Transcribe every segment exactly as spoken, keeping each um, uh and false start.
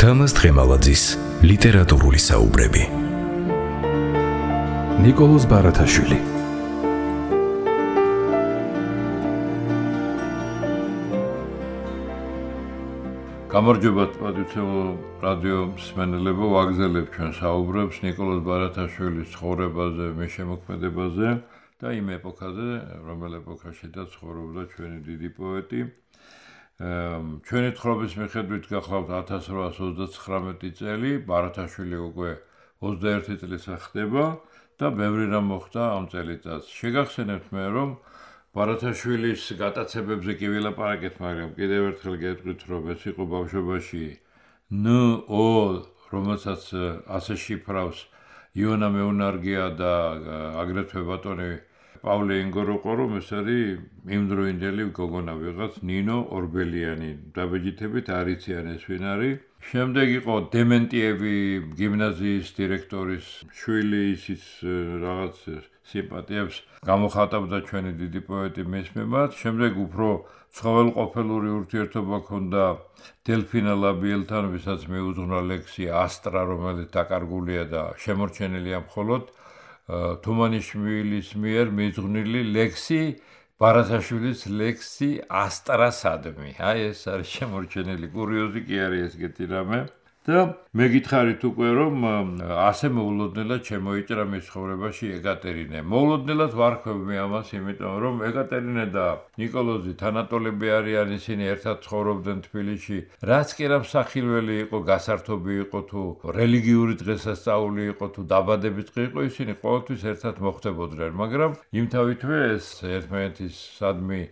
თამაზ დღემალაძის ლიტერატურული საუბრები. ნიკოლოზ ბარათაშვილი. გამარჯობა პატივცემულო რადიო მსმენელებო, ვაგზელებ ჩვენ საუბრებს ნიკოლოზ ბარათაშვილის ცხოვრებაზე, მის შემოქმედებაზე და იმ ეპოქაზე, რომელ ეპოქაშიდაც ცხოვრობდა ჩვენი დიდი პოეტი. ჩვენი თხრობის მიხედვით გახლავთ ათას რვაას ოცდაცხრამეტი წელი, ბარათაშვილი უკვე ოცდაერთი წლისა ხდება და ბევრი რამ მოხდა ამ წელიწადს. შეგახსენებთ მე, რომ ბარათაშვილის გატაცებებზე კი ვილაპარაკეთ, მაგრამ კიდევ ერთხელ გეტყვით, რომ ეს იყო ბავშვობაში ნ-ო, რომელსაც ასე შიფრავს იონა მეუნარგია და აგრეთვე ბატონი პავლე ინგოროყო, რომ ეს არის იმდროინდელი გოგონა ვიღაც ნინო ორბელიანი, დაბეჯითებით არ იციან ეს ვინ არის. შემდეგ იყო დემენტიევი გიმნაზიის დირექტორის შვილი, ისიც რაღაც სიმპათიებს გამოხატავდა ჩვენი დიდი პოეტი მის მიმართ. შემდეგ უფრო ცხოველყოფილური ურთიერთობა ჰქონდა დელფინა ლაბიელთან, ვისაც მიუძღვნა ლექსი ასტრა, რომელიც დაკარგულია და შემორჩენილია მხოლოდ თუმანიშვილის მიერ მიძღვნილი ლექსი, ბარათაშვილის ლექსი ასტრასადმი. აი ეს არის შემორჩენილი, კურიოზი კი არის ესეთი რამე. და მე გითხარით უკვე, რომ ასე მოულოდნელად შემოიჭრა მის ცხოვრებაში ეკატერინე. მოულოდნელად ვარქვევ მე ამას, იმიტომ რომ ეკატერინე და ნიკოლოზი თანატოლები არიან, ისინი ერთად ცხოვრობდნენ თბილისში. რაც კი რა მსახილველი იყო, გასართობი იყო თუ რელიგიური დღესასწაული იყო თუ დაბადების დღე იყო, ისინი ყოველთვის ერთად მოხვდებოდნენ, მაგრამ იმთავითვე ეს ერთმანეთის სადმი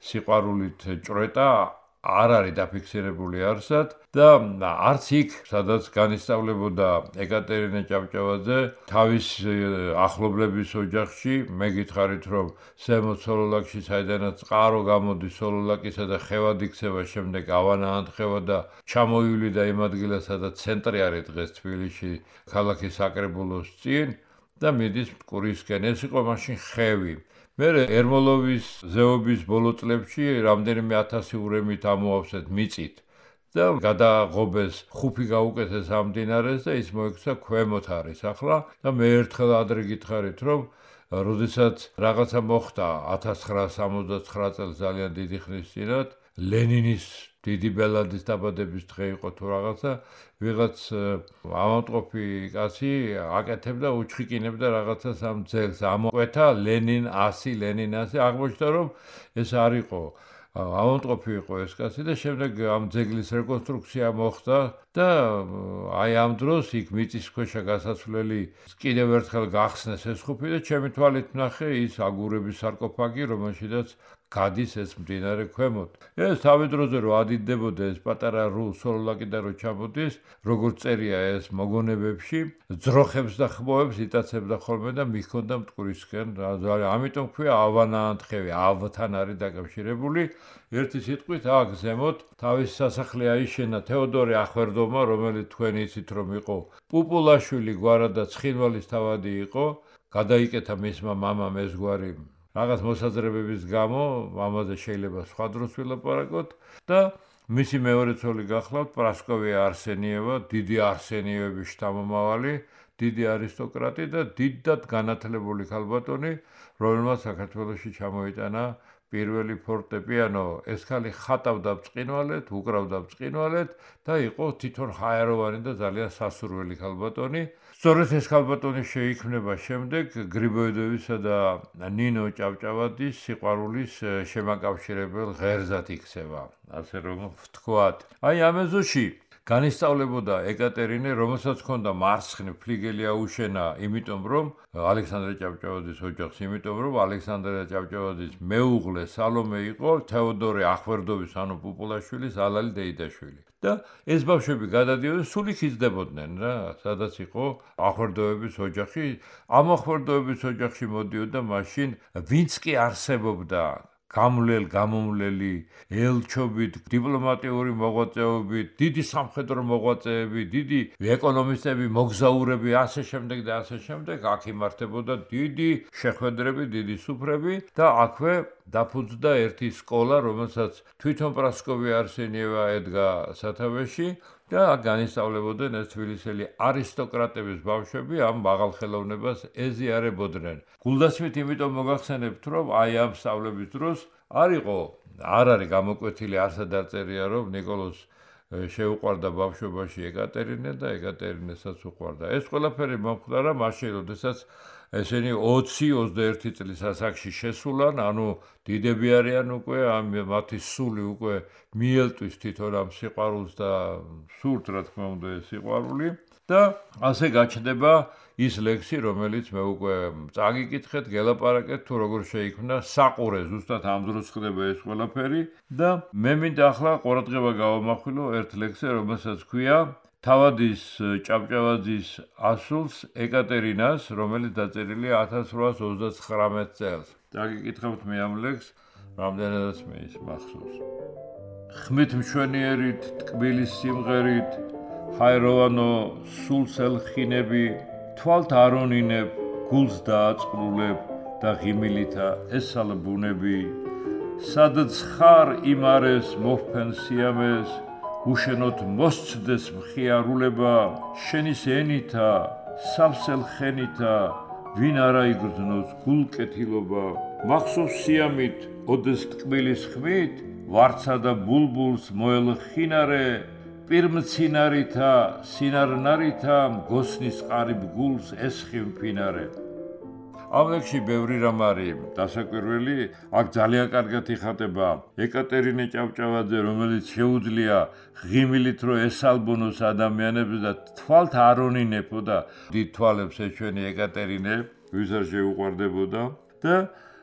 სიყვარულით ჭრეტა არ არის დაფიქსირებული არსად და არც იქ, სადაც განისწავლებოდა ეკატერინე ჭავჭავაძე თავის ახლობლების ოჯახში. მე გითხარით, რომ ზემოთ სოლოლაკში, საიდანაც წყარო გამოდის სოლოლაკისა და ხევად იქცევა, შემდეგ ავანა ანთხევა და ჩამოივლიდა იმ ადგილას, სადაც ცენტრი არის დღეს თბილისში, ქალაქის საკრებულოს წინ და მიდის მტკვრისკენ. ეს იყო მაშინ ხევი. მე ერმოლოვის ზეობის ბოლო წლებში რამდენიმე ათასი ურემით ამოავსეთ მიწით და გადაღობეს ხუფი გაუკეთეს ამ მდინარეს და ის მოექცა ქვემოთ არის ახლა და მე ერთხელ ადრე გითხარით, რომ როდესაც რაღაცა მოხდა ათას ცხრაას სამოცდაცხრა წელს ძალიან დიდი ხნის წინათ, ლენინის დიდი ბელადის დაბადების დღე იყო თუ რაღაცა, ვიღაც ამავტყოფი კაცი აკეთებდა, უჩხიკინებდა რაღაცას ამ ძეგლს, ამოყვეთა ლენინ ასი, ლენინ ასი, აღმოჩნდა, რომ ეს არ იყო ამავტყოფი იყო ეს კაცი და შემდეგ ამ ძეგლის რეკონსტრუქცია მოხდა და აი ამ დროს იქ მიწისქვეშა გასასვლელი კიდევ ერთხელ გახსნეს ეს ხუფი და ჩემი თვალით ვნახე ის აგურების სარკოფაგი, რომელშიც გადის ეს მდინარე ქვემოთ. ეს თავი დროზე რო ადიდებოდა ეს პატარა ru სოლოლაკიდან რო ჩამოდის, როგორც წერია ეს მოგონებებში, ძროხებს და ხმოვებს იტაცებდა ხოლმე და მიჰქონდა მტკვრისკენ. ამიტომ ქვია ავანა ანთხევი, ავთან არის დაკავშირებული. ერთი სიტყვით აქ ზემოთ თავის სასახლე აიშენა თეოდორე ახვერდოვმა, რომელიც თქვენ იცით რომ იყო პუპულაშვილი გვარა და ცხინვალის თავადი იყო. გადაიკეთა მისმა მამამ ეს გვარი რაღაც მოსაზრებების გამო, ამაზე შეიძლება სხვა დროს ვილაპარაკოთ და მისი მეორე ცოლი გახლავთ პრასკოვია არსენიევა, დიდი არსენიევების შთამომავალი, დიდი არისტოკრატი და დიდად განათლებული ქალბატონი, რომელმაც საქართველოში ჩამოიტანა პირველი ფორტეპიანო. ეს ქალი ხატავდა ბრწყინვალედ, უკრავდა ბრწყინვალედ და იყო თვითონ ჰაეროვანი და ძალიან სასურველი ქალბატონი. სწორედ ეს ქალბატონი შეიქმნება შემდეგ გრიბოედოვისა და ნინო ჭავჭავაძის სიყვარულის შემაკავშირებელ ღერზად იქცევა, ასე რომ ვთქვათ. აი ამ ეზოში განისწავლებოდა ეკატერინე, რომელსაც ჰქონდა მარცხნივ ფლიგელი აუშენა, იმიტომ რომ ალექსანდრე ჭავჭავაძის ოჯახს, იმიტომ რომ ალექსანდრე ჭავჭავაძის მეუღლე სალომე იყო თეოდორე ახვერდოვის, ანუ პუპულაშვილის ალალი დეიდაშვილი. და ეს ბავშვები გადადიოდნენ, სულ იქ იზრდებოდნენ რა, სადაც იყო ახვერდოების ოჯახი. ამ ახვერდოების ოჯახში მოდიოდა მაშინ ვინც კი არსებობდა გამვლელ, გამომვლელი, ელჩობით, დიპლომატიური მოღვაწეობით, დიდი სამხედრო მოღვაწეები, დიდი ეკონომისტები, მოგზაურები, ასე შემდეგ და ასე შემდეგ, აქ იმართებოდა დიდი შეხვედრები, დიდი სუფრები და აქვე დაფუძნდა ერთი სკოლა, რომელსაც თვითონ პრასკოვია არსენიევა ედგა სათავეში და განისწავლებოდნენ ეს თბილისელი არისტოკრატების ბავშვები ამ მაღალ ხელოვნებას ეზიარებოდნენ. გულდასმით იმიტომ მოგახსენებთ, რომ აი ამ სწავლების დროს არ იყო, არ არის გამოკვეთილი, არსად არ წერია, რომ ნიკოლოზ შეუყვარდა ბავშვობაში ეკატერინე და ეკატერინესაც უყვარდა. ეს ყველაფერი მომხდარა მაშინ, როდესაც ესენი ოცი ოცდაერთი წლის ასაკში შესულან, ანუ დიდები არიან უკვე, ამ მათი სული უკვე მიელტვის თვითონ ამ სიყვარულს და სურთ, რა თქმა უნდა, ეს სიყვარული და ასე გაჩნდება ის ლექსი, რომელიც მე უკვე წაგიკითხეთ, გელაპარაკეთ, თუ როგორ შეიქმნა საყურე, ზუსტად ამ დროს ხდება ეს ყველაფერი და მე მინდა ახლა ყურადღება გავამახვილო ერთ ლექსზე, რომელსაც ქვია თავადის ჭავჭავაძის ასულს ეკატერინას, რომელიც დაწერილია ათას რვაას ოცდაცხრამეტ წელს. წაგიკითხავთ მე ამ ლექსს, რამდენადაც მე ის მახსოვს. ხმით მშვენიერით, ტკბილის სიმღერით, ჰაეროვანო სულს ელხინები, თვალთ არონინებ, გულს დააწყვრულებ და ღიმილითა ესალბუნები. სადაც ხარ იმ არეს მოფფენ სიამეს, უშენოთ მოსცდეს მხიარულება, შენის ენითა, სავსელ ხენითა, ვინ არა იგრძნოს გულკეთილობა. მახსოვს სიამით, ოდეს ტკბილის ხმით, ვარცა და ბულბულს მოელხინარე, პირმცინარითა, სინარნარითა, გოსნის ყარიბ გულს ესხი მფინარე. ამ ლექსში ბევრი რამ არის დასაკვირველი, აქ ძალიან კარგად იხატება ეკატერინე ჭავჭავაძე, რომელიც შეუძლია ღიმილით რო ესალბონოს ადამიანებს და თვალთ არონინებო და დიდ თვალებს ეჩვენი ეკატერინე, ვისაც შეუყვარდებოდა და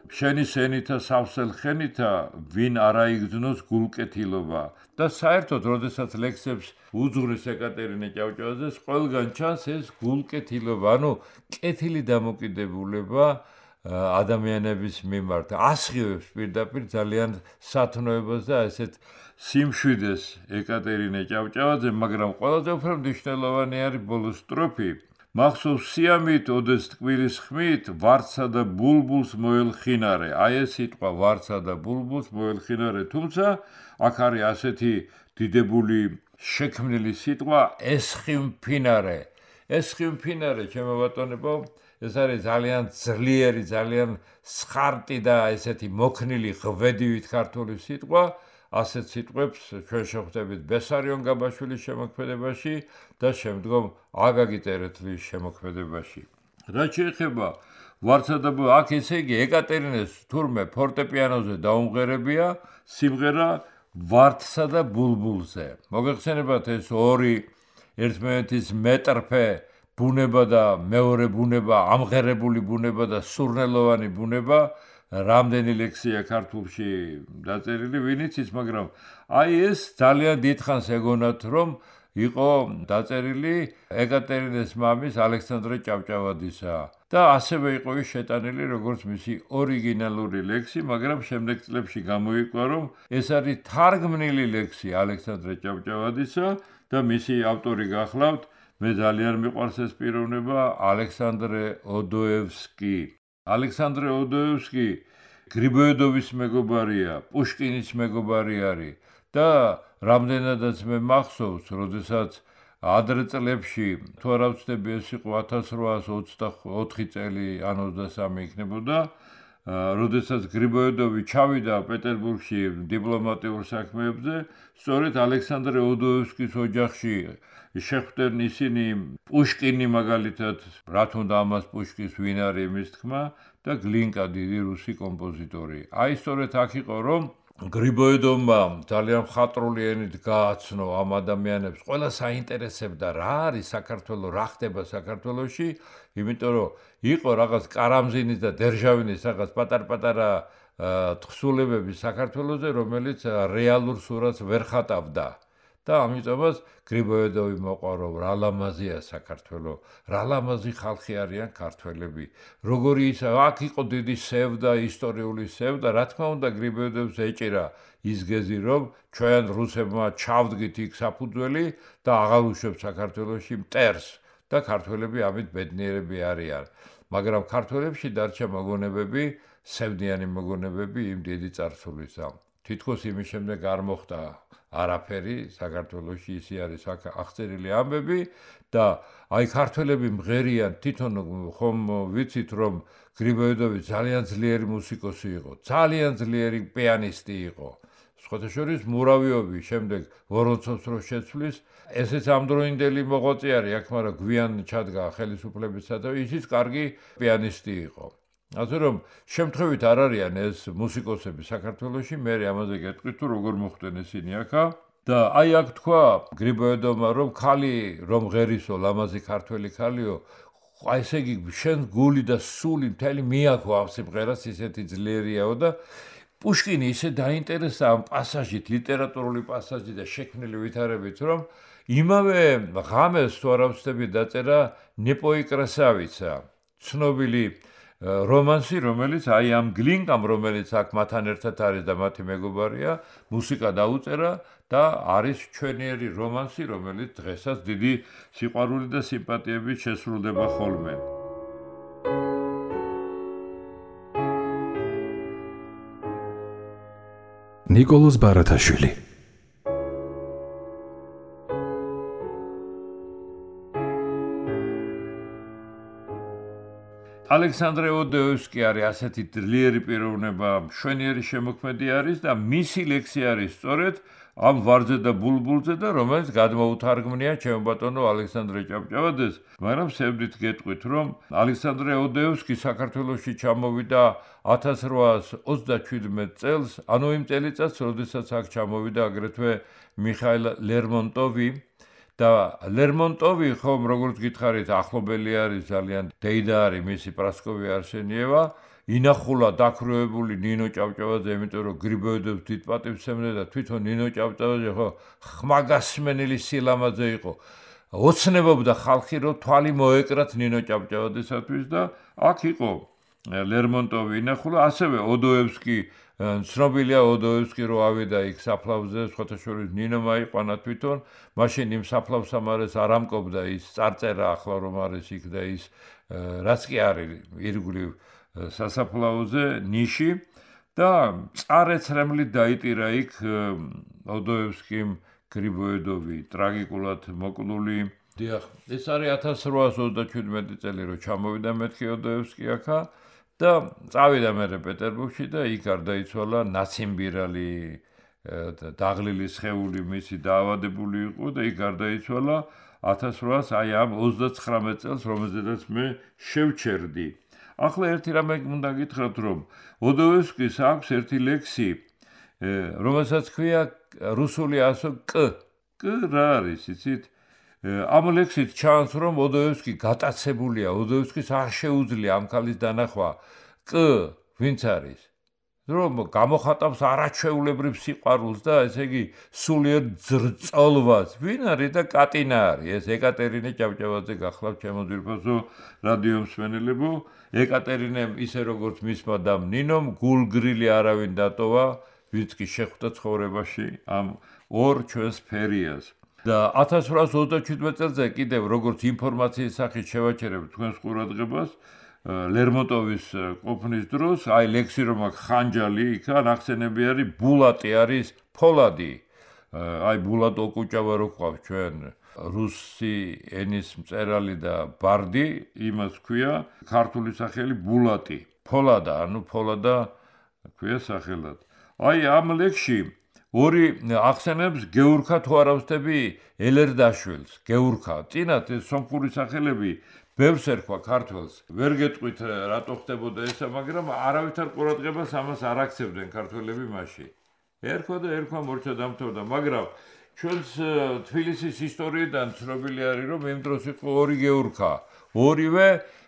შენის ენითა სავსელ ხენითა, ვინ არა იგრძნოს გულკეთილობა. და საერთოდ, როდესაც ლექსებს უძღვრის ეკატერინე ჭავჭავაძეს, ყველგან ჩანს ეს გულკეთილობა, ანუ კეთილი დამოკიდებულება ადამიანების მიმართ. ასხივებს პირდაპირ ძალიან სათნოებას და ესეთ სიმშვიდეს ეკატერინე ჭავჭავაძე, მაგრამ ყველაზე უფრო მნიშვნელოვანი არის ბოლოს სტროფი. მახსოვს სიამით, ოდეს ტკბილის ხმით, ვარცა და ბულბულს მოელხინარე. აი ეს სიტყვა ვარცა და ბულბულს მოელხინარე, თუმცა აქ არის ასეთი დიდებული შექმნილი სიტყვა ესხი მფინარე. ესხი მფინარე, ჩემო ბატონებო, ეს არის ძალიან ძლიერი, ძალიან სხარტი და ესეთი მოქნილი ღვედივით ქართული სიტყვა. ასეთ სიტყვებს ჩვენ შევხვდებით ბესარიონ გაბაშვილის შემოქმედებაში და შემდგომ აგაგი ტერეთლის შემოქმედებაში. რაც შეეხება ვარცა და აქ ესე იგი ეკატერინეს თურმე ფორტეპიანოზე დაუმღერებია სიმღერა ვარდსა და ბულბულზე. მოგეხსენებათ ეს ორი ერთმანეთის მეტრფე ბუნება და მეორე ბუნება, ამღერებული ბუნება და სურნელოვანი ბუნება, რამდენი ლექსია ქართულში დაწერილი, ვინც ის, მაგრამ აი ეს ძალიან დიდხანს ეგონათ, რომ იყო დაწერილი ეკატერინეს მამის ალექსანდრე ჭავჭავაძისა და ასევე იყო ის შეტანილი როგორც მისი ორიგინალური ლექსი, მაგრამ შემდეგ წლებში გამოიკვა, რომ ეს არის თარგმნილი ლექსი ალექსანდრე ჭავჭავაძისა და მისი ავტორი გახლავთ, მე ძალიან მიყვარს ეს პიროვნება, ალექსანდრე ოდოევსკი. ალექსანდრე ოდოევსკი გრიბოედოვის მეგობარია, პუშკინის მეგობარი არის და რამდენადაც მე მახსოვს, როდესაც ადრე წლებში, თუ არ ვცდები, ეს იყო ათას რვაას ოცდაოთხი წელი, ან ოცდასამი იქნებოდა, როდესაც გრიბოედოვი ჩავიდა პეტერბურგში დიპლომატიურ საქმეებზე, სწორედ ალექსანდრე ოდოევსკის ოჯახში შეხვდნენ ისინი პუშკინი მაგალითად, რა თქმა ამას პუშკის ვინ არის იმის თქმა და გლინკა დიდი რუსი კომპოზიტორი. აი სწორედ აქ იყო, რომ გრიბოედოვმა ძალიან მხატვრული ენით გააცნო ამ ადამიანებს, ყველა საინტერესებდა რა არის საქართველო, რა ხდება საქართველოში, იმიტომ რომ იყო რაღაც კარამზინის და დერჟავინის რაღაც პატარ-პატარა თხზულებები საქართველოზე, რომელიც რეალურ სურათს ვერ ხატავდა. და ამიტომაც გრიბოედოვი მოყვა, რომ რა ლამაზია საქართველო, რა ლამაზი ხალხი არიან ქართველები. როგორი ის აქ იყო დიდი სევდა, ისტორიული სევდა, რა თქმა უნდა გრიბოედოვს ეჭირა ის გეზი, რომ ჩვენ რუსებმა ჩავდგით იქ საფუძველი და აღარ უშვებთ საქართველოში მტერს და ქართველები ამით ბედნიერები არიან. მაგრამ ქართველებში დარჩა მოგონებები, სევდიანი მოგონებები იმ დიდი წარსულისა. თითქოს იმის შემდეგ არ მოხდა არაფერი საქართველოში, ისე არის აღწერილი ამბები და აი ქართველები მღერიან, თვითონ ხომ ვიცით რომ გრიბოედოვი ძალიან ძლიერი მუსიკოსი იყო, ძალიან ძლიერი პიანისტი იყო. სხვათა შორის მურავიოვი შემდეგ ვორონცოვს რო შეცვლის, ესეც ამდროინდელი მოღვაწე არის აქ, მაგრამ გვიან ჩადგა ხელისუფლებისა და ისიც კარგი პიანისტი იყო. ასე რომ შემთხვევით არ არიან ეს მუსიკოსები საქართველოში, მე ამაზე გეტყვით თუ როგორ მოხდნენ ისინი აქა და აი აქ თქვა გრიბოედოვმა რომ ხალი რომ ღერისო ლამაზი ქართველი ხალიო, აი ესე იგი შენ გული და სული მთელი მიაქო ამ სიმღერას, ისეთი ძლიერიაო და პუშკინი ისე დაინტერესა ამ პასაჟით, ლიტერატურული პასაჟით და შექმნილი ვითარებით, რომ იმავე ღამეს თუ არ ვცდები დაწერა ნეპოი კრასავიცა, ცნობილი რომანსი, რომელიც აი ამ გლინკამ, რომელიც აქ მათთან ერთად არის და მათი მეგობარია, მუსიკა დაუწერა და არის ჩვენიერი რომანსი, რომელიც დღესაც დიდი სიყვარული და სიმპათიებით შესრულდება ხოლმე. ნიკოლოზ ბარათაშვილი ალექსანდრე ოდოევსკი არის ასეთი ძლიერი პიროვნება, მშვენიერი შემოქმედი არის და მისი ლექსი არის სწორედ ამ ვარძე და ბულბულზე და რომელიც გადმოუთარგმნია ჩემო ბატონო ალექსანდრე ჭავჭავაძეს, მაგრამ სევდით გეტყვით, რომ ალექსანდრე ოდოევსკი საქართველოში ჩამოვიდა ათას რვაას ოცდაჩვიდმეტ წელს, ანუ იმ წელიწადს, როდესაც აქ ჩამოვიდა აგრეთვე მიხაილ ლერმონტოვი და ლერმონტოვი ხომ როგორც გითხარით ახლობელი არის ძალიან დეიდა არის მისი პრასკოვია არსენიევა ინახულა დაქროებული ნინო ჭავჭავაძე იმიტომ რომ გრიბოედოვს დიდ პატივს ემნე და თვითონ ნინო ჭავჭავაძე ხო ხმაგასმენელი სილამაძე იყო ოცნებობდა ხალხი რომ თვალი მოეკრათ ნინო ჭავჭავაძესათვის და აქ იყო ლერმონტოვი ინახულა ასევე ოდოევსკი ცნობილია ოდოევსკი რო ავიდა იქ საფლავზე, სხვათა შორის ნინო მაიყვანა თვითონ, მაშინ იმ საფლავს ამარეს არ ამკობდა ის წარწერა ახლა რომ არის იქ და ის რაც კი არის ირგვლივ სასაფლაოზე ნიში და წარეცრემლით დაიტირა იქ ოდოევსკიმ გრიბოედოვი ტრაგიკულად მოკლული. დიახ, ეს არის ათას რვაას ოცდაჩვიდმეტი წელი რო ჩამოვიდა მეთქი ოდოევსკი აქა და წავიდა მერე პეტერბურგში და იქ გარდაიცვალა ნაციმბირალი დაღლილი სხეული მისი დაავადებული იყო და იქ გარდაიცვალა ათას რვაას აი ამ ოცდაცხრამეტ წელს, რომელზედაც მე შევჩერდი. ახლა ერთი რამე უნდა გითხრათ, რომ ოდოევსკის აქვს ერთი ლექსი, რომელსაც ქვია რუსული ასო კ. კ რა არის, იცით? ამ ლექსით ჩანს, რომ ოდოევსკი გატაცებულია, ოდოევსკის არ შეუძლია ამ ქალის დანახვა. კ ვინც არის? რომ გამოხატავს არაჩვეულებრივ სიყვარულს და ესე იგი სულიერ ძრწოლვას. ვინ არის და კატინა არის? ეს ეკატერინე ჭავჭავაძე გახლავთ ჩემო ძვირფასო რადიო მსმენელებო. ეკატერინემ ისე როგორც მისმა დამ ნინომ გულგრილი არავინ დატოვა, ვინც კი შეხვდა ცხოვრებაში ამ ორ ჩვენს ფერიას. და ათას რვაას ოცდაჩვიდმეტ წელზე კიდევ როგორც ინფორმაციის სახით შევაჩერებთ თქვენს ყურადღებას ლერმონტოვის ყოფნის დროს, აი ლექსი რომ აქვს ხანჯალი, იქა ნახსენები არის ბულატი არის ფოლადი. აი ბულატ ოკუჭავა რო ყავს ჩვენ რუსი ენის მწერალი და ბარდი, იმას ქვია ქართული სახელი ბულატი. ფოლადა, ანუ ფოლადა ქვია სახელად. აი ამ ლექსში ორი ახსენებს გეურქა თუ არ ავსდები ელერდაშვილს, გეურქა. წინათ ეს სომხური სახელები ბევრს ერქვა ქართველს. ვერ გეტყვით რატო ხდებოდა ესა, მაგრამ არავითარ ყურადღებას ამას არ აქცევდნენ ქართველები მაშინ. ერქვა და ერქვა მორჩა დამთავრდა, მაგრამ ჩვენს თბილისის ისტორიიდან ცნობილი არის, რომ იმ დროს იყო ორი გეურქა. ორივე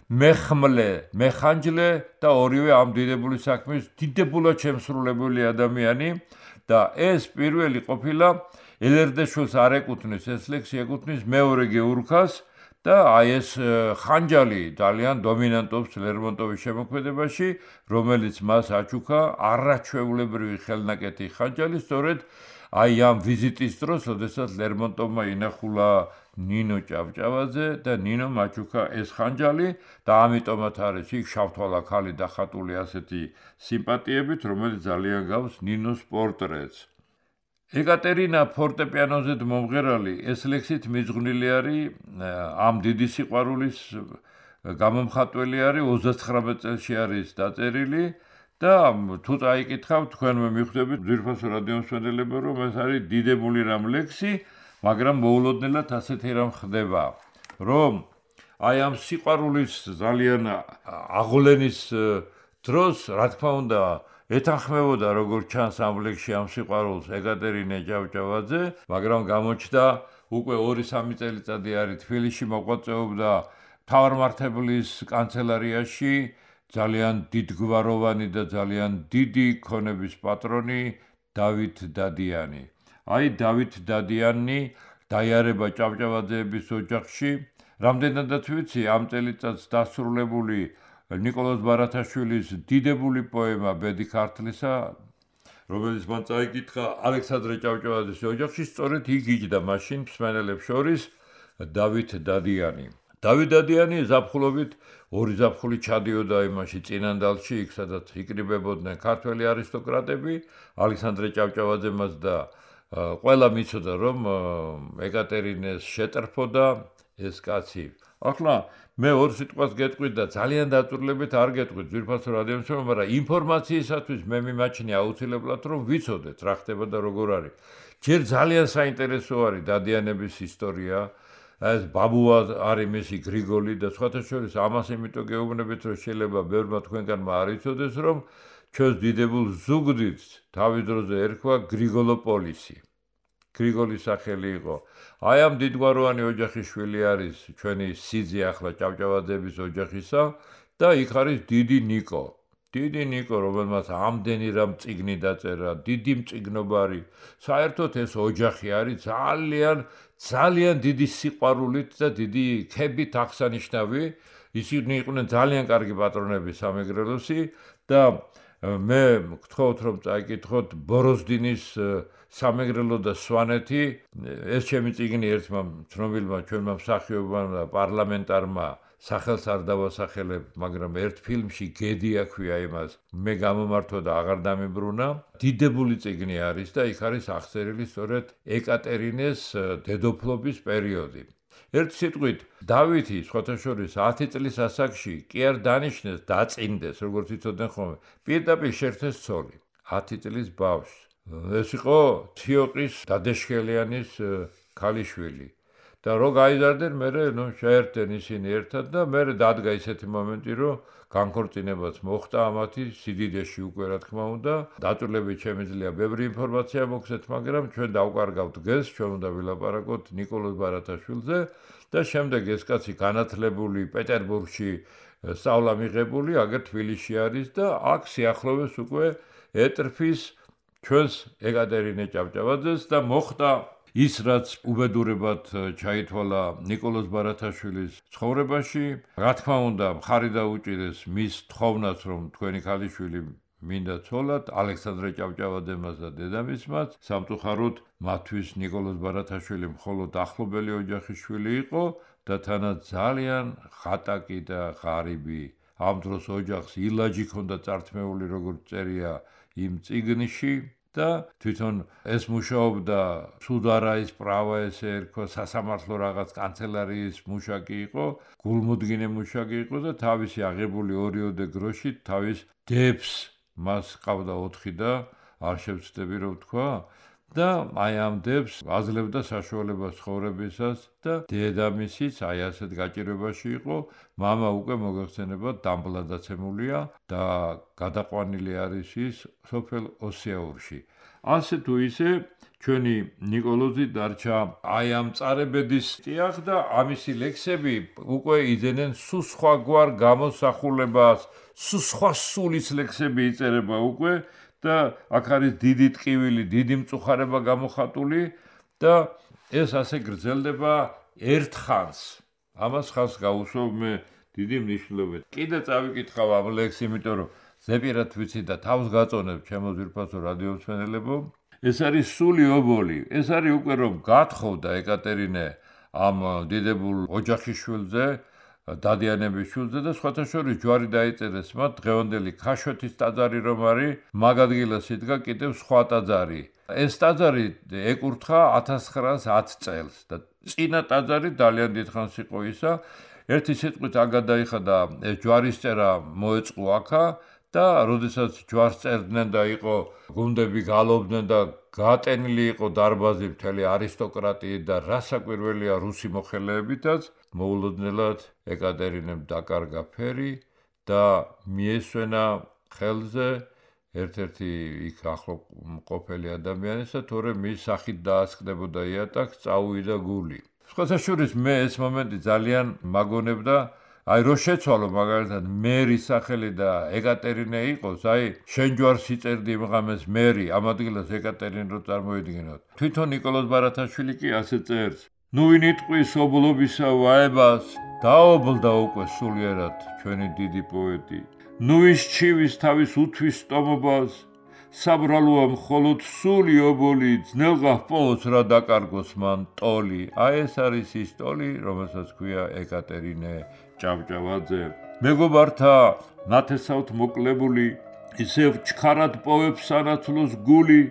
მეხმლე, მეხანჯლე და ორივე ამ დიდებული საქმის დიდებულად შემსრულებელი ადამიანი. და ეს პირველი ყოფილა ელერდაშვილს არ ეკუთვნის ეს ლექსი ეკუთვნის მეორე გეურქას და აი ეს ხანჯალი ძალიან დომინანტობს ლერმონტოვის შემოქმედებაში, რომელიც მას აჩუქა არაჩვეულებრივი ხელნაკეთი ხანჯალი, სწორედ აი ამ ვიზიტის დროს, როდესაც ლერმონტოვმა ინახულა ნინო ჭავჭავაძე და ნინომ აჩუქა ეს ხანჯალი და ამიტომაც არის იქ შავთვალა ქალი დახატული ასეთი სიმპათიებით, რომელიც ძალიან გავს ნინოს პორტრეტს. ეკატერინა ფორტეპიანოზე მომღერალი ეს ლექსით მიძღვნილი არის ამ დიდი სიყვარულის გამომხატველი არის ოცდაცხრამეტ წელში არის დაწერილი და თუ წაიკითხავთ თქვენმე მიხვდებით ძვირფასო რადიო მსმენელებო რომ ეს არის დიდებული რამ ლექსი, მაგრამ მოულოდნელად ასეთი რამ ხდება, რომ აი ამ სიყვარულის ძალიან აღვლენის დროს, რა თქმა უნდა, ეთანხმებოდა როგორც ჩანს ამ ლექსში ამ სიყვარულს ეკატერინე ჭავჭავაძე, მაგრამ გამოჩნდა უკვე ორი სამი წელიწადი არის თბილისში მოღვაწეობდა მთავარმართებლის კანცელარიაში ძალიან დიდგვაროვანი და ძალიან დიდი ქონების პატრონი დავით დადიანი. აი დავით დადიანი დაიარება ჭავჭავაძეების ოჯახში, რამდენადაც ვიცი ამ წელიწადს დასრულებული ნიკოლოზ ბარათაშვილის დიდებული პოემა ბედი ქართლისა, რომელიც მან წაიკითხა ალექსანდრე ჭავჭავაძის ოჯახში, სწორედ იქ იჯდა მაშინ მსმენელებს შორის დავით დადიანი. დავით დადიანი ზაფხულობით ორი ზაფხული ჩადიოდა იმაში წინანდალში, იქ სადაც იკრიბებოდნენ ქართველი არისტოკრატები, ალექსანდრე ჭავჭავაძემაც და ყველა მიცოდა რომ ეკატერინეს შეტრფოდა ეს კაცი. ახლა მე ორ სიტყვას გეტყვით და ძალიან დაწვრილებით არ გეტყვით ძვირფასო რადიო მსმენელო, მაგრამ ინფორმაციისათვის მე მიმაჩნია აუცილებლად რომ ვიცოდეთ რა ხდება და როგორ არის. ჯერ ძალიან საინტერესო არის დადიანების ისტორია, ეს ბაბუა არის მისი გრიგოლი და სხვათა შორის ამას იმიტომ გეუბნებით რომ შეიძლება ბევრმა თქვენგანმა არ იცოდეს რომ ჩვენს დიდებულ ზუგდიდს თავის დროზე ერქვა გრიგოლოპოლისი. გრიგოლის სახელი იყო. აი ამ დიდგვაროვანი ოჯახის შვილი არის ჩვენი სიძე ახლა ჭავჭავაძეების ოჯახისა და იქ არის დიდი ნიკო. დიდი ნიკო, რომელმაც ამდენი რამ წიგნი დაწერა, დიდი მწიგნობარი. საერთოდ ეს ოჯახი არის ძალიან ძალიან დიდი სიყვარულით და დიდი ქებით აღსანიშნავი. ისინი იყვნენ ძალიან კარგი პატრონები სამეგრელოსი და მე გთხოვთ რომ წაიკითხოთ ბოროზდინის სამეგრელო და სვანეთი, ეს ჩემი წიგნი ერთმა ცნობილმა ჩვენმა მსახიობმა და პარლამენტარმა სახელს არ დავასახელებ, მაგრამ ერთ ფილმში გედი აქვია იმას, მე გამომართვა და აღარ დამიბრუნა. დიდებული წიგნი არის და იქ არის აღწერილი სწორედ ეკატერინეს დედოფლობის პერიოდი. ერთ სიტყვით, დავითი, სხვათა შორის ათი წლის ასაკში კი არ დანიშნეს, დაწინდეს, როგორც იცოდნენ ხოლმე, პირდაპირ შერთეს ცოლი, ათი წლის ბავშვს. ეს იყო თიოყის დადეშქელიანის ქალიშვილი. და რო გაიზარდნენ, მერე ნუ შეერთდნენ ისინი ერთად და მერე დადგა ისეთი მომენტი, რომ განქორწინებაც მოხდა ამათი სიდიდეში უკვე რა თქმა უნდა. დაწვრილებით შემიძლია ბევრი ინფორმაცია მოგცეთ, მაგრამ ჩვენ დავკარგავთ გეს, ჩვენ უნდა ვილაპარაკოთ ნიკოლოზ ბარათაშვილზე და შემდეგ ეს კაცი განათლებული პეტერბურგში სწავლა მიღებული, აგერ თბილისში არის და აქ სიახლოვეს უკვე ეტრფის ჩვენს ეკატერინე ჭავჭავაძეს და მოხდა ის რაც უბედურებად ჩაითვალა ნიკოლოზ ბარათაშვილის ცხოვრებაში, რა თქმა უნდა, მხარი დაუჭირეს მის თხოვნას, რომ თქვენი ქალიშვილი მინდა ცოლად, ალექსანდრე ჭავჭავაძემაც და დედამისმაც, სამწუხაროდ მათთვის ნიკოლოზ ბარათაშვილი მხოლოდ ახლობელი ოჯახის შვილი იყო და თანაც ძალიან ხატაკი და ღარიბი. ამ დროს ოჯახს ილაჯი ჰქონდა წართმეული, როგორც წერია იმ წიგნში. და თვითონ ეს მუშაობდა სუდარაის პრავა ესე ერქვა, სასამართლო რაღაც კანცელარიის მუშაკი იყო, გულმოდგინე მუშაკი იყო და თავისი აღებული ორიოდე გროშით თავის დებს მას ყავდა ოთხი და არ შევცდები რომ თქვა და აი ამ დებს აძლევდა საშუალებას ცხოვრებისას და დედამისიც აი ასეთ გაჭირვებაში იყო, მამა უკვე მოგეხსენებათ დამბლადაცემულია და გადაყვანილი არის ის სოფელ ოსიაურში. ასე თუ ისე ჩვენი ნიკოლოზი დარჩა აი ამ წარებედის ტიახ და ამისი ლექსები უკვე იძენენ სულ სხვაგვარ გამოსახულებას, სულ სხვა სულის ლექსები იწერება უკვე და აქ არის დიდი ტკივილი, დიდი მწუხარება გამოხატული და ეს ასე გრძელდება ერთხანს. ამას ხას გაუსვამ მე დიდი მნიშვნელობით. კიდე წავიკითხავ ამ ლექსს, იმიტომ რომ ზეპირად ვიცი და თავს გაწონებ ჩემო ძვირფასო რადიო მსმენელებო. ეს არის სული ობოლი. ეს არის უკვე რომ გათხოვდა ეკატერინე ამ დიდებულ ოჯახის შვილზე, დადიანების შვილზე და სხვათა შორის ჯვარი დაიწერეს მათ დღევანდელი ქაშვეთის ტაძარი რომ არის, მაგ ადგილას იდგა კიდევ სხვა ტაძარი. ეს ტაძარი ეკურთხა ათას ცხრაას ათი წელს და წინა ტაძარი ძალიან დიდხანს იყო ისა. ერთი სიტყვით აქ გადაიხადა ეს ჯვარისწერა მოეწყო აქა და როდესაც ჯვარს წერდნენ და იყო გუნდები გალობდნენ და გატენილი იყო დარბაზი მთელი არისტოკრატიით და რასაკვირველია რუსი მოხელეებითაც, მოულოდნელად ეკატერინემ დაკარგა ფერი და მიესვენა ხელზე ერთ-ერთი იქ ახლო მყოფელი ადამიანისა, თორემ მის სახით დაასკდებოდა იატაკს, წაუვიდა გული. სხვათა შორის მე ეს მომენტი ძალიან მაგონებდა, აი რო შეცვალო მაგალითად მერი სახელი და ეკატერინე იყოს, აი შენ ჯვარს იწერდი იმ ღამეს მერი, ამ ადგილას ეკატერინე რო წარმოიდგინოთ. თვითონ ნიკოლოზ ბარათაშვილი კი ასე წერს. ნუ ვინ იტყვის ობლობისა ვაებას, დაობლდა უკვე სულიერად ჩვენი დიდი პოეტი. ნუ ვის ჩივის თავის უთვის სტომობას, საბრალოა მხოლოდ სული ობოლი, ძნელღა ჰპოვოს რა დაკარგოს მან ტოლი. აი ეს არის ის ტოლი, რომელსაც ქვია ეკატერინე ჭავჭავაძე. მეგობართა ნათესავთ მოკლებული, ისევ ჩქარად პოვებს სანაცვლოს გული,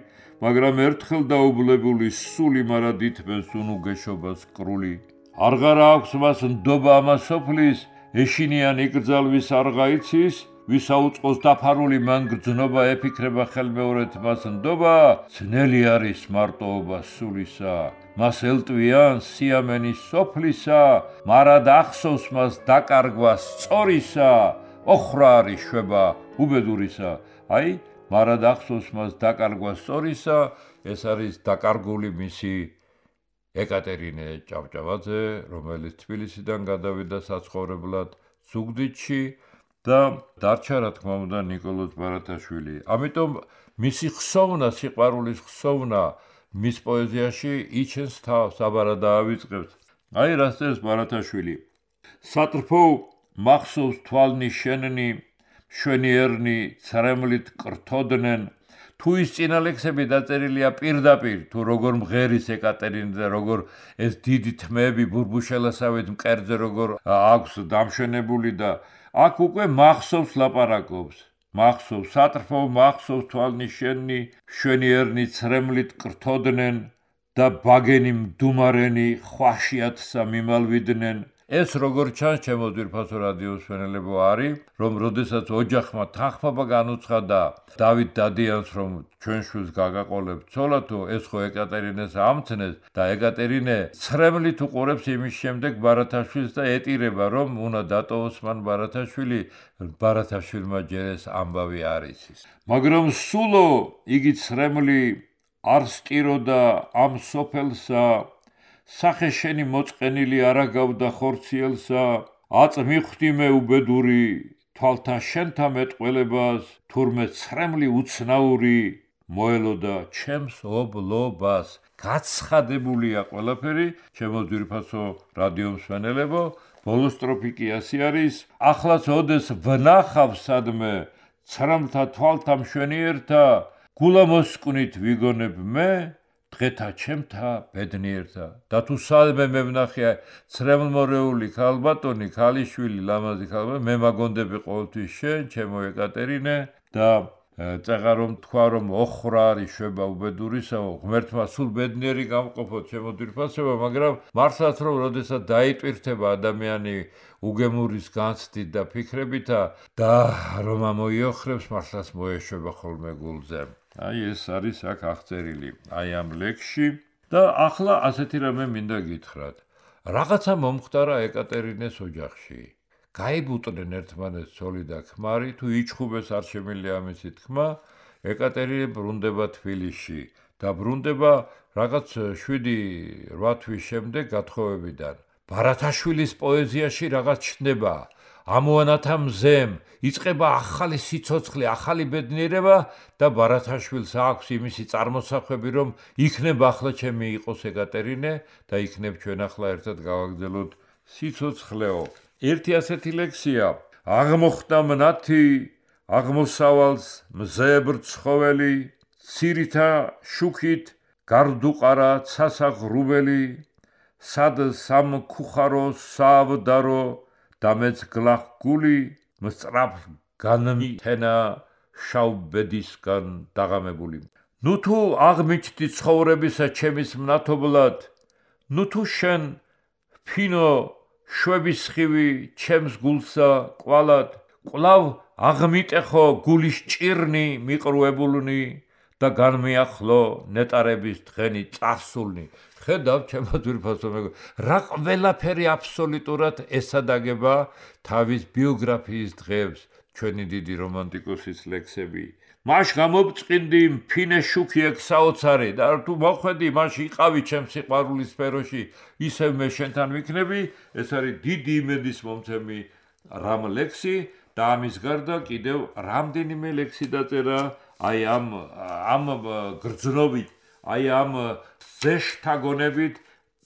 მაგრამ ერთხელ დაუბლებული სული მარად ითმენს უნუგეშობას კრული. არღარა აქვს მას ნდობა ამას სოფლის, ეშინიან იკრძალვის არ გაიცის, ვის აუწყოს დაფარული მან გრძნობა ეფიქრება ხელმეორედ მას ნდობა, ძნელი არის მარტოობა სულისა, მას ელტვიან სიამენის სოფლისა, მარად ახსოვს მას დაკარგვა სწორისა, ოხრა არის შვება უბედურისა. აი, მარად ახსოვს მას დაკარგვა სწორისა, ეს არის დაკარგული მისი ეკატერინე ჭავჭავაძე, რომელიც თბილისიდან გადავიდა საცხოვრებლად ზუგდიდში და დარჩა რა თქმა უნდა ნიკოლოზ ბარათაშვილი. ამიტომ მისი ხსოვნა, სიყვარულის ხსოვნა მის პოეზიაში იჩენს თავს, აბარა დაავიწყებს. აი რას წერს ბარათაშვილი. სატრფო მახსოვს თვალნი შენნი, შვენიერნი ცრემლით კრთოდნენ, თუ ის წინა ლექსები დაწერილია პირდაპირ, თუ როგორ მღერის ეკატერინე და როგორ ეს დიდი თმეები ბურბუშელასავით მკერდზე როგორ აქვს დამშვენებული და აქ უკვე მახსოვს ლაპარაკობს. მახსოვს სატრფო მახსოვს თვალნი შენნი, შვენიერნი ცრემლით კრთოდნენ და ბაგენი მდუმარენი ხვაშიათსა მიმალვიდნენ. ეს როგორ ჩანს ჩემო ძვირფასო რადიო მსმენელებო არის, რომ როდესაც ოჯახმა თანხმობა განუცხადა დავით დადიანს, რომ ჩვენ შვილს გაგაყოლებთ ცოლათო, ეს ხო ეკატერინეს ამცნეს და ეკატერინე ცრემლით უყურებს იმის შემდეგ ბარათაშვილს და ეტირება, რომ უნდა დატოვოს მან ბარათაშვილი, ბარათაშვილმა ჯერ ეს ამბავი არ იცის. მაგრამ სულო იგი ცრემლი არ სტიროდა ამ სოფელსა, სახე შენი მოწყენილი არა გავდა ხორციელსა, აწ მიხვდი მე უბედური, თვალთა შენთა მეტყველებას, თურმე ცრემლი უცნაური, მოელოდა ჩემს ობლობას. გაცხადებულია ყველაფერი, ჩემო ძვირფასო რადიო მსმენელებო, ბოლო სტროფი კი ასე არის, ახლაც ოდეს ვნახავ სადმე, ცრემლთა თვალთა მშვენიერთა, გულა მოსკვნით ვიგონებ მე, დღეთა ჩემთა ბედნიერთა. და თუ სადმე მე ვნახე ცრემლმორეული ქალბატონი, ქალიშვილი, ლამაზი ქალბატონი, მე მაგონდები ყოველთვის შენ, ჩემო ეკატერინე და წეღა რომ თქვა რომ ოხრა არის შვება უბედურისაო, ღმერთმა სულ ბედნიერი გამყოფოთ ჩემო ძვირფასებო, მაგრამ მართლაც რომ როდესაც დაიტვირთება ადამიანი უგემურის განცდით და ფიქრებითა და რომ ამოიოხრებს, მართლაც მოეშვება ხოლმე გულზე. აი ეს არის აქ აღწერილი აი ამ ლექსში და ახლა ასეთი რამე მინდა გითხრათ. რაღაცა მომხდარა ეკატერინეს ოჯახში. გაიბუტნენ ერთმანეთს ცოლი და ქმარი, თუ იჩხუბეს არ შემიძლია ამისი თქმა, ეკატერინე ბრუნდება თბილისში და ბრუნდება რაღაც შვიდი რვა თვის შემდეგ გათხოვებიდან. ბარათაშვილის პოეზიაში რაღაც ჩნდება. ამოანათა მზემ იწყება ახალი სიცოცხლე, ახალი ბედნიერება და ბარათაშვილს აქვს იმისი წარმოსახვები, რომ იქნებ ახლა ჩემი იყოს ეკატერინე და იქნებ ჩვენ ახლა ერთად გავაგრძელოთ სიცოცხლეო. ერთი ასეთი ლექსია: აღმოხდა მნათი, აღმოსავალს მზებრ ცხოველი, ცირითა შუქით გარდუყარა ცასაღრუბელი, სად სამქუხარო სავდარო და მეც გლახ გული, მსწრაფ განმითენა შავბედისგან დაღამებული. ნუ თუ აღმიჩდი ცხოვრებისა ჩემის მნათობლად, ნუ თუ შენ ფინო შვების ხივი ჩემს გულსა კვალად, კვლავ აღმიტეხო გულის ჭირნი მიყრუებულნი და განმეახლო ნეტარების დღენი წარსულნი. ხედავ ჩემო ძვირფასო მეგობრო, რა ყველაფერი აბსოლუტურად ესადაგება თავის ბიოგრაფიის დღეებს ჩვენი დიდი რომანტიკოსის ლექსები. მაშ გამობწყინდი მფინე შუქი ეგ საოცარი და თუ მოხვედი მაშ იყავი ჩემს სიყვარულის სფეროში, ისევ მე შენთან ვიქნები. ეს არის დიდი იმედის მომცემი რამ ლექსი და ამის გარდა კიდევ რამდენიმე ლექსი დაწერა აი ამ ამ გრძნობით, აი ამ ზეშთა გონებით,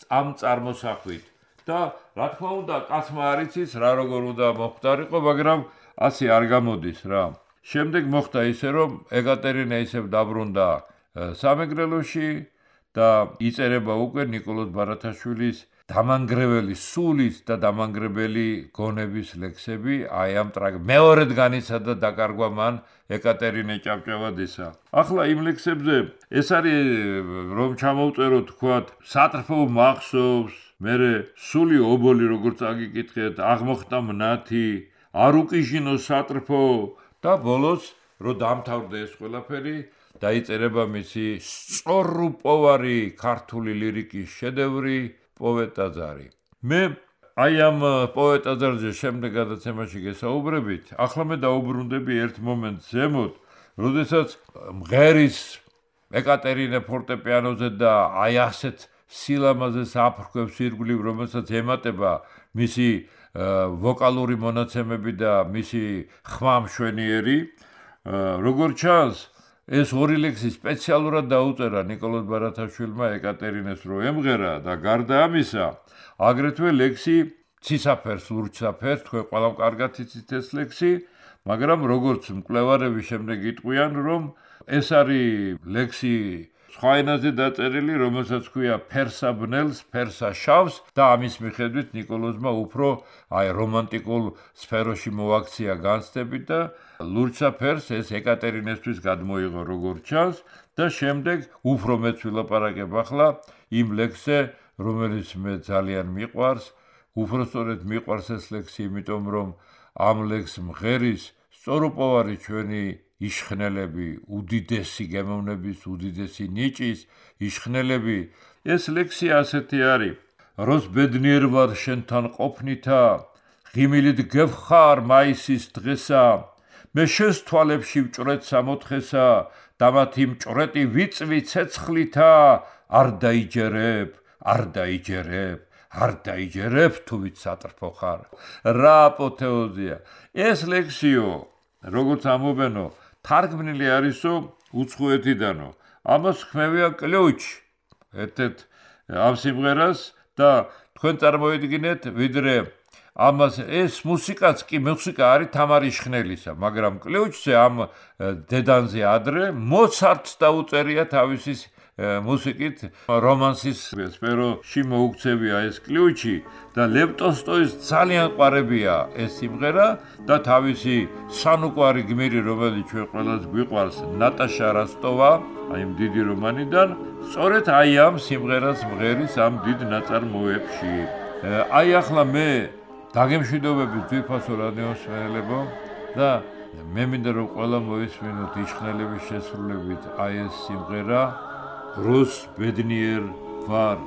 ამ წარმოსახვით. და რა თქმა უნდა, კაცმა არ იცის რა როგორ უნდა მოხდარიყო, მაგრამ ასე არ გამოდის რა. შემდეგ მოხდა ისე, რომ ეკატერინე ისევ დაბრუნდა სამეგრელოში და იწერება უკვე ნიკოლოზ ბარათაშვილის დამანგრეველი სულის და დამანგრებელი გონების ლექსები. აი ამ ტრაგ მეორედ განიცადა დაკარგვა მან ეკატერინე ჭავჭავადისა. ახლა იმ ლექსებზე ეს არის რომ ჩამოვწეროთ თქვათ სატრფო მახსოვს, მერე სული ობოლი როგორც აგიკითხეთ, აღმოხდა მნათი, არ უკიჟინო სატრფო და ბოლოს რო დამთავრდა ეს ყველაფერი, დაიწერება მისი სწორუპოვარი ქართული ლირიკის შედევრი პოეტაზარი. მე აი ამ პოეტაზარზე შემდეგ გადაცემაში გესაუბრებით, ახლა მე დაუბრუნდები ერთ მომენტს ზემოთ, როდესაც მღერის ეკატერინე ფორტეპიანოზე და აი ასეთ სილამაზეს აფრქვევს ირგვლივ, რომელსაც ემატება მისი ვოკალური მონაცემები და მისი ხმა მშვენიერი. როგორც ჩანს, ეს ორი ლექსი სპეციალურად დაუწერა ნიკოლოზ ბარათაშვილმა ეკატერინეს რო ემღერა და გარდა ამისა, აგრეთვე ლექსი ცისაფერს, ლურჯსაფერს, თქვენ ყველამ კარგად იცით ეს ლექსი, მაგრამ როგორც მკვლევარები შემდეგ იტყვიან, რომ ეს არის ლექსი სხვა ენაზე დაწერილი, რომელსაც ქვია ფერსა ბნელს, ფერსა შავს და ამის მიხედვით ნიკოლოზმა უფრო აი რომანტიკულ სფეროში მოაქცია განცდები და ლურჯსაფერს ეს ეკატერინესთვის გადმოიღო როგორც ჩანს და შემდეგ უფრო მეც ვილაპარაკებ ახლა იმ ლექსზე, რომელიც მე ძალიან მიყვარს, უпростоრედ მიყვარს ეს ლექსი, იმიტომ რომ ამ ლექსს მღერის სწორუპოვარი ჩვენი იშხნელები, უდიდესი გემოვნების, უდიდესი ნიჭის იშხნელები. ეს ლექსი ასეთი არის: როს ბედნიერ ვარ შენთან ყოფნითა, ღიმილით გევხარ მაისის დღესა, მე შენს თვალებში ვჭრეთ სამოთხესა და მათი მჭრეტი ვიწვი ცეცხლითა, არ დაიჯერებ, არ დაიჯერებ, არ დაიჯერებ თუ ვით სატრფო ხარ. რა აპოთეოზია. ეს ლექსიო, როგორც ამობენო, თარგმნილი არისო უცხოეთიდანო. ამას ხმევია კლუჩი ერთ-ერთ ამ სიმღერას და თქვენ წარმოიდგინეთ, ვიდრე ამას ეს მუსიკაც კი მუსიკა არის თამარ იშხნელისა, მაგრამ კლუჩზე ამ დედანზე ადრე მოცარტს დაუწერია თავისი მუსიკით რომანსის სფეროში მოუქცევია ეს კლუჩი და ლევ ტოლსტოის ძალიან ყვარებია ეს სიმღერა და თავისი სანუკვარი გმირი, რომელიც ჩვენ ყველას გვიყვარს, ნატაშა როსტოვა, აი ამ დიდი რომანიდან, სწორედ აი ამ სიმღერას მღერის ამ დიდ ნაწარმოებში. აი ახლა მე დაგემშვიდობები ძვირფასო რადიო მსმენელებო და მე მინდა რომ ყველა მოისმინოთ იშხნელების შესრულებით აი ეს სიმღერა როს ბედნიერ ვარ.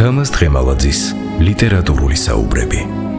თამაზ დღემალაძის ლიტერატურული საუბრები.